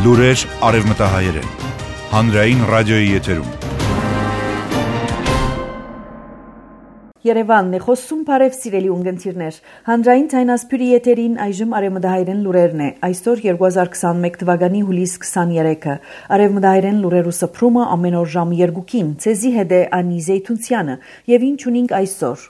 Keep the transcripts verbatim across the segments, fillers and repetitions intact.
Լուրեր արևմտահայերեն։ Հանրային ռադիոյի եթերում։ Երևանն է խոսում, բարև սիրելի ունգընտիրներ։ Հանրային ցայնասփյուրի եթերին այժմ արևմտահայերեն լուրերն է։ Այսօր երկու հազար քսանմեկ թվականի հուլիս քսաներեքը։ Արևմտահայերեն լուրերու սփռումը ամեն օր ժամը երկուքին։ Ցեզի հետ է Անի Զեյթունցյանը, եւ ինչ ունենք այսօր։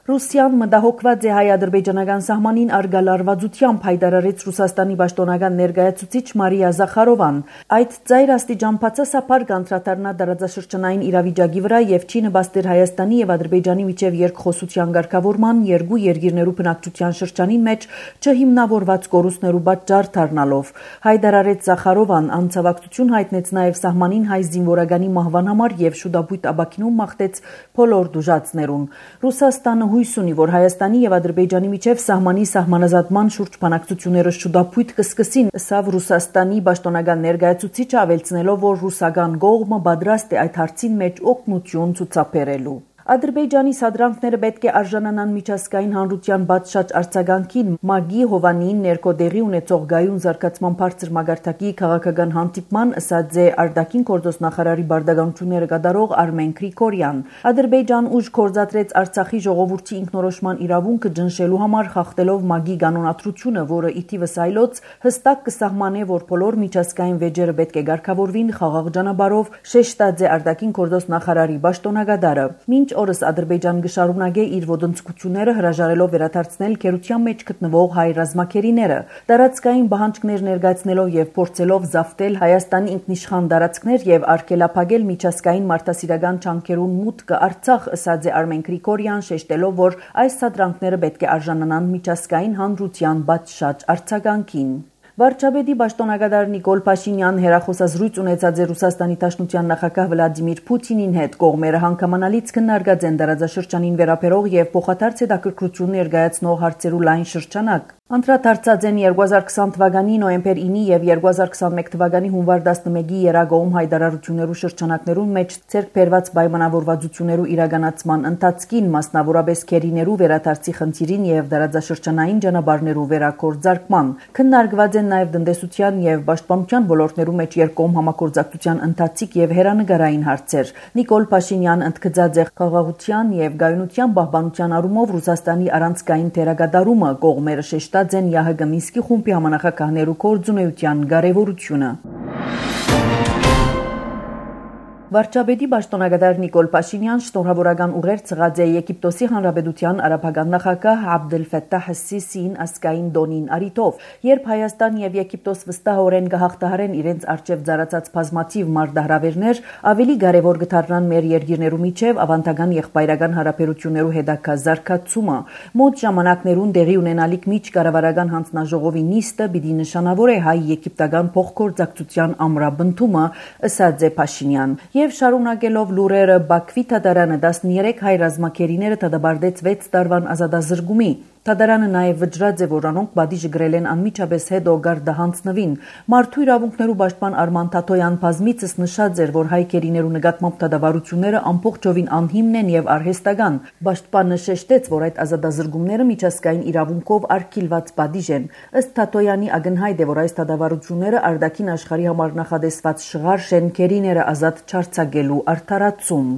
Ռուսիան մտահոգված է հայ-ադրբեջանական սահմանին արգալ արվածությամբ, հայտարարեց Ռուսաստանի պաշտոնական ներկայացուցիչ Մարիա Զախարովան։ Այդ ծայր աստիճան բացասաբար կանդրադառնա տարածաշրջանային իրավիճակի վրա եւ չի նպաստեր Հայաստանի եւ Ադրբեջանի միջև երկխոսության ղեկավարման երկու երկիրներու բնակչության շրջանին մեջ չհիմնավորված կորուստներու պատճառ դառնալով։ Հայտարարեց Զախարովան, անցավակցություն հայտնեց նաեւ սահմանին հայ զինվորականի մահվան համար եւ շուտապույտ ապակինում մաղթեց բոլոր դժուժացներուն։ Ռուսաստանը հույս ունի, որ Հայաստանի եւ Ադրբեջանի միջև սահմանի սահմանազատման շուրջ բանակցությունները շուտապույտ կսկսին, ըստ Ռուսաստանի պաշտոնական ներկայացուցիչը, ավելցնելով, որ ռուսական կողմը պատրաստ է այդ հարցին մեջ օգնություն ցուցաբերելու։ Ադրբեջանի սադրանքները պետք է արժանանան միջազգային հանրության բացշաճ արձագանքին, ՄԱԳ-ի Հովանին ներկոդեղի ունեցող գայուն զարգացման բարձր մակարդակի քաղաքական հանդիպման, ըստ է արտաքին գործոս նախարարի բարդականությունները կատարող Արմեն Գրիգորյան։ Ադրբեջան ուժ գործադրեց Արցախի ժողովրդի ինքնորոշման իրավունքը ճնշելու համար, խախտելով ՄԱԳ-ի կանոնադրությունը, որը ի թիվս այլոց հստակ կսահմանե, որ բոլոր միջազգային վեճերը պետք է կարգավորվին խաղաղ ճանապարհով, շեշտած է արտաքին գործոս նախարարի պաշտոնակատարը։ Մինչ օրս Ադրբեջան գշարունակե իր ոդնցկությունները հրաժարելով վերադարձնել քերության մեջ գտնվող հայ ռազմակերիները, տարածքային պահանջներ ներկայացնելով եւ փորձելով զավթել Հայաստանի ինքնիշխան տարածքներ եւ արգելափակել միջազգային մարդասիրական ջանքերուն մուտքը Արցախ, ըստ է Արմեն Գրիգորյան, շեշտելով, որ այս սադրանքները պետք է արժանանան միջազգային հանրության բացշաճ արձագանքին։ Վարչապետի պաշտոնակատար Նիկոլ Փաշինյան հերախոսազրույց ունեցած է Ռուսաստանի Դաշնության նախագահ Վլադիմիր Պուտինին հետ։ Կողմերը հանգամանալից քննարկած են տարածաշրջանին վերաբերող եւ փոխադարձ հետաքրքրություն ներկայացնող հարցերու լայն շրջանակ։ Անդրադարձած են երկու հազար քսան թվականի նոյեմբեր ինը եւ երկու հազար քսանմեկ թվականի հունվար տասնմեկի երագոմ հայտարարություններու շրջանակներուն մեջ ցերկ բերված պայմանավորվածություններու իրականացման ընթացքին, մասնավորապես քերիներու վերադարձի խնդիրին եւ տարածաշրջանային ճանապարհներու վերակորձարկման։ Քննարկված են նաեւ տնտեսության եւ պաշտպանության ոլորտներու մեջ երկկողմ համագործակցության ընթացիկ եւ հերանեկարային հարցեր։ Նիկոլ Փաշինյան ընդգծած է խաղաղության եւ գայունության պահպանության առումով Ռուսաստանի առանցքային դերակատարումը, կողմերը շեշտած են ԵԱՀԿ Մինսկի խումբի համանախագահներու կորձունեության կարեւորությունը։ Վարչապետի պաշտոնակատար Նիկոլ Փաշինյան շնորհավորական ուղեր ցղած է Եգիպտոսի Հանրապետության արաբական նախագահ Աբդել Ֆաթահ Սիսիին ասկային դոնին արիտով, երբ Հայաստան եւ Եգիպտոս վստահորեն կհաղթահարեն իրենց արչեւ ծառացած բազմաթիվ մարտահրավերներ, ավելի կարեւոր կդառնան մեր երկիրներու միջև ավանդական եղբայրական հարաբերություններու հետագա զարգացումը։ Մոտ ժամանակներուն տեղի ունենալիք միջկառավարական հանձնաժողովի նիստը պիտի նշանավորե հայ-եգիպտական փոխգործակցության ամրապնդումը, ըստ է Փաշինյան։ Եվ շարունակելով լուրերը, Բաքվի դատարանը տասներեք հայ ռազմակերիները դատապարտեց վեց տարվան ազատազրկումի։ Դատարանը նաև վճռած է, որ անոնք պատիժը գրել են անմիջապես հետո գարդահանձնվին։ Մարդու իրավունքներու պաշտպան Արման Թաթոյան բազմիցս նշած էր, որ հայ քերիներու նկատմամբ դատավարությունները ամբողջովին անհիմն են եւ արհեստական։ Պաշտպանը շեշտեց, որ այդ ազատազրկումները միջազգային իրավունքով արգելված պատիժ են։ Ըստ Թաթոյանի ակնհայտ է, որ այս դատավարությունները արտաքին աշխարհի համար նախադեсված շղարշ են քերիները ազատ չարձակելու արդարացում։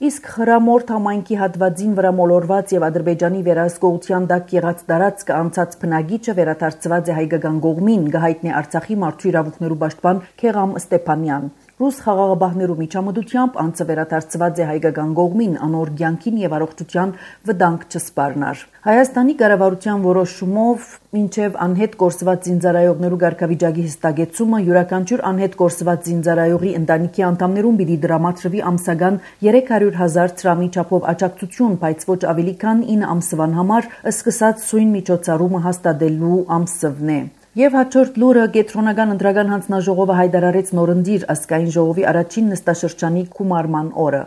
Իսկ Խրամորդ համայնքի հատվածին վրա մոլորված եւ Ադրբեջանի վերահսկողության տակ եղած տարածքը անցած բնագիճը վերադարձված է հայկական կողմին, գահիտնի Արցախի մարդու իրավունքներու պաշտպան Քեղամ Ստեփանյան։ Ռուս խաղաղապահներու միջամտությամբ անցը վերադարձված է հայկական կողմին, անոր կյանքին եւ առողջության վտանգ չսպառնար։ Հայաստանի կառավարության որոշումով մինչև անհետ կորսված զինծառայողներու ղեկավարի հստակեցումը յուրաքանչյուր անհետ կորսված զինծառայողի ընտանիքի անդամներուն պիտի դրամատրվի ամսական երեք հարյուր հազար դրամի չափով աջակցություն, բայց ոչ ավելի քան ինը ամսվան համար սկսած սույն միջոցառումը հաստատելու ամսվն է։ Եվ հաջորդ լուրը կենտրոնական ընտրական հանձնաժողովը հայտարարեց նորընտիր ազգային ժողովի առաջին նստաշրջանի գումարման օրը։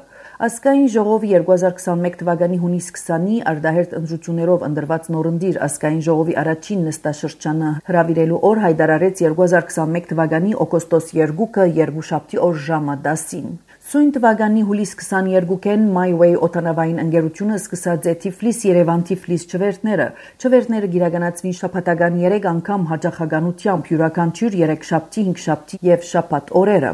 Ազգային ժողովի երկու հազար քսանմեկ թվականի հունիս քսանի արտահերթ ընտրություններով ընտրված նորընտիր ազգային ժողովի առաջին նստաշրջանը հրավիրելու օր հայտարարեց երկու հազար քսանմեկ թվականի օգոստոս երկուը երկուշաբթի օր ժամը դասին։ Սույն թվականի հուլիս քսաներկուին My Way օդանավային ընկերությունը սկսած է Թիֆլիս-Երևան-Թիֆլիս չվերթները։ Չվերթները գիրականացվին շաբաթական երեք անգամ հաճախականությամբ յուրաքանչյուր երեքշաբթի, հինգշաբթի եւ շաբաթ օրերը։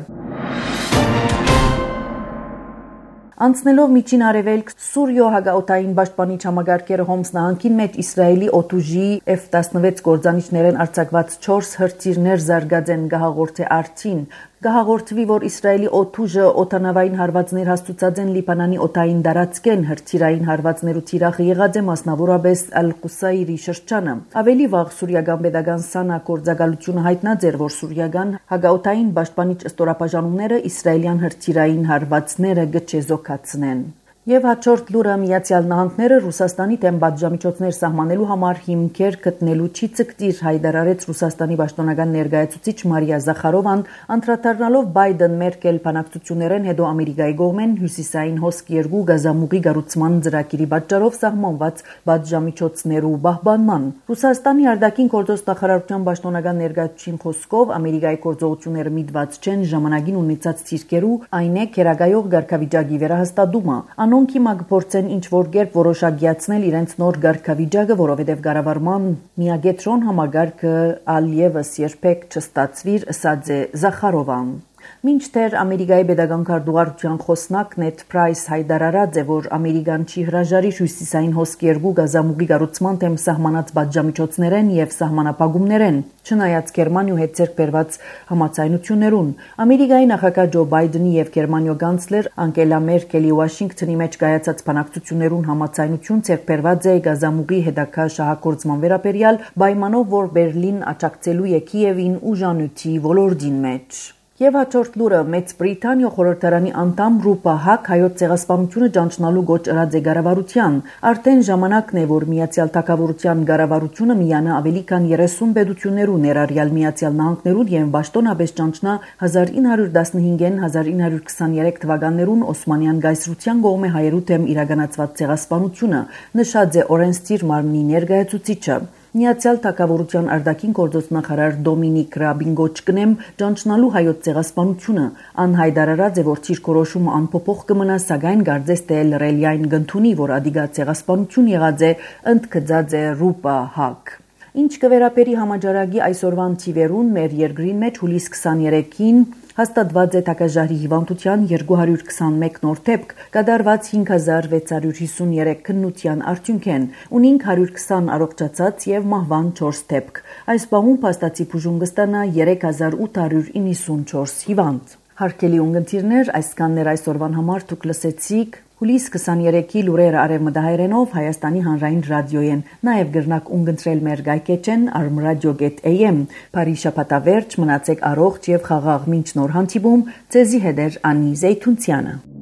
Անցնելով միջին արևելք Սուրիո հակաօդային պաշտպանիչ համագարկերը Հոմս նահանգին մեջ Իսրայելի օդուժի Էֆ տասնվեց գործանիչներեն արձակված չորս հրթիռներ զարգացեն գահաղորդե արդին։ Գահաղորդվի, որ Իսրայելի օդուժը օդանավային հարվածներ հաստուցած են Լիբանանի օդային տարածքեն հրթիռային հարվածներու թիրախը եղած է մասնավորապես Ալ-Կուսայրի շրջանը։ Ավելի վաղ սուրիական pedagogan Սանա գործակալությունը հայտնած էր, որ սուրիական հակաօդային պաշտպանիչ ստորապաժանումները իսրայելյան հրթիռային հարվածները գճեզոքացնեն։ Եվ հաջորդ լուրը Միացյալ Նահանգները Ռուսաստանի դեմ պատժամիջոցներ սահմանելու համար հիմքեր գտնելու չի ցկտիր հայտարարեց Ռուսաստանի պաշտոնական ներկայացուցիչ Մարիա Զախարովան, անդրադառնալով Բայդեն-Մերկել բանակցություններեն հետո Ամերիկայի կողմեն հյուսիսային հոսք երկու գազամուղի կառուցման ծրագիրի պատճառով սահմանված պատժամիջոցներու պահպանման։ Ռուսաստանի արտաքին գործոս նախարարության պաշտոնական ներկայացուցիչին խոսքով Ամերիկայի գործողությունները միտված չեն ժամանակին ունեցած ցիրկերու, այն է քերագայող ղարքավիճակի վերահաստատումը։ Անոնք հիմա կփորձեն ինչ-որ կերպ որոշակիացնել իրենց նոր ղարքավիճակը, որովհետև կառավարման միագետրոն համագարկը ալևս երբեք չստացվիր, ըսած է Զախարովան։ Մինչդեռ Ամերիկայի pedagogan քարտուղարության խոսնակ Նեդ Պրայս հայտարարած է, որ Ամերիկան չի հրաժարի հյուսիսային հոսք երկու գազամուղի կառուցման դեմ սահմանած պատժամիջոցներեն եւ սահմանապահումներեն, չնայած Գերմանիու հետ ձեռք բերված համաձայնություններուն։ Ամերիկայի նախագահ Ջո Բայդենի եւ Գերմանիո կանցլեր Անգելա Մերկելի Վաշինգտոնի մեջ կայացած բանակցություններուն համաձայնություն ձեռք բերված է գազամուղի հետագա շահագործման վերաբերյալ, պայմանով, որ Բերլին աջակցելու է Կիևին ուժանույթի ոլորտին մեջ։ Եվ հաջորդ լուրը Մեծ Բրիտանիա խորհրդարանի անդամ Ռուպա Հակ հայոց ցեղասպանությունը ճանչնալու գոչ ըրած է կառավարության։ Արդեն ժամանակն է, որ Միացյալ Թագավորության կառավարությունը միանա ավելի քան երեսուն պետություններու ներառյալ Միացյալ Նահանգներուն եւ պաշտոնապես ճանչնա հազար ինը հարյուր տասնհինգին հազար ինը հարյուր քսաներեք թվականներուն Օսմանյան գայսրության կողմէ հայերու դեմ իրականացված ցեղասպանությունը, նշած է օրենսդիր մարմնի ներկայացուցիչը։ Միացյալ Թագավորության արտաքին գործոս նախարար Դոմինիկ Ռաբին գոչկնեմ ճանչնալու հայոց ցեղասպանությունը, անհայտարարած է, որ ցիրկորոշումը անփոփոխ կմնա, սակայն գարձես թե լրելյային գնդունի, որ ադիգա ցեղասպանություն եղած է, ընդգծած է Ռուպա Հակ։ Ինչ կվերապերի համաճարակի այսօրվան թիվերուն մեր երկրին մեջ հուլիս քսաներեքին հաստատված է թակաժարի հիվանդության երկու հարյուր քսանմեկ նոր դեպք, կատարված հինգ հազար վեց հարյուր հիսուններեք քննության արդյունքեն, ունինք հարյուր քսան առողջացած եւ մահվան չորս դեպք։ Այս բանուն փաստացի բուժում կստանա երեք հազար ութ հարյուր իննսունչորս հիվանդ։ Հարկելի ունգընտիրներ, այսքաններ այսօրվան համար դուք լսեցիք հուլիս քսաներեքի լուրերը արևմտահայերենով Հայաստանի հանրային ռադիոյեն, նաև գրնակ ունգընտրել մեր գայքեջեն armradio dot a m։ Բարի շաբաթավերջ, մնացեք առողջ եւ խաղաղ մինչ նոր հանդիպում, ձեզի հետ է Անի Զեյթունցյանը։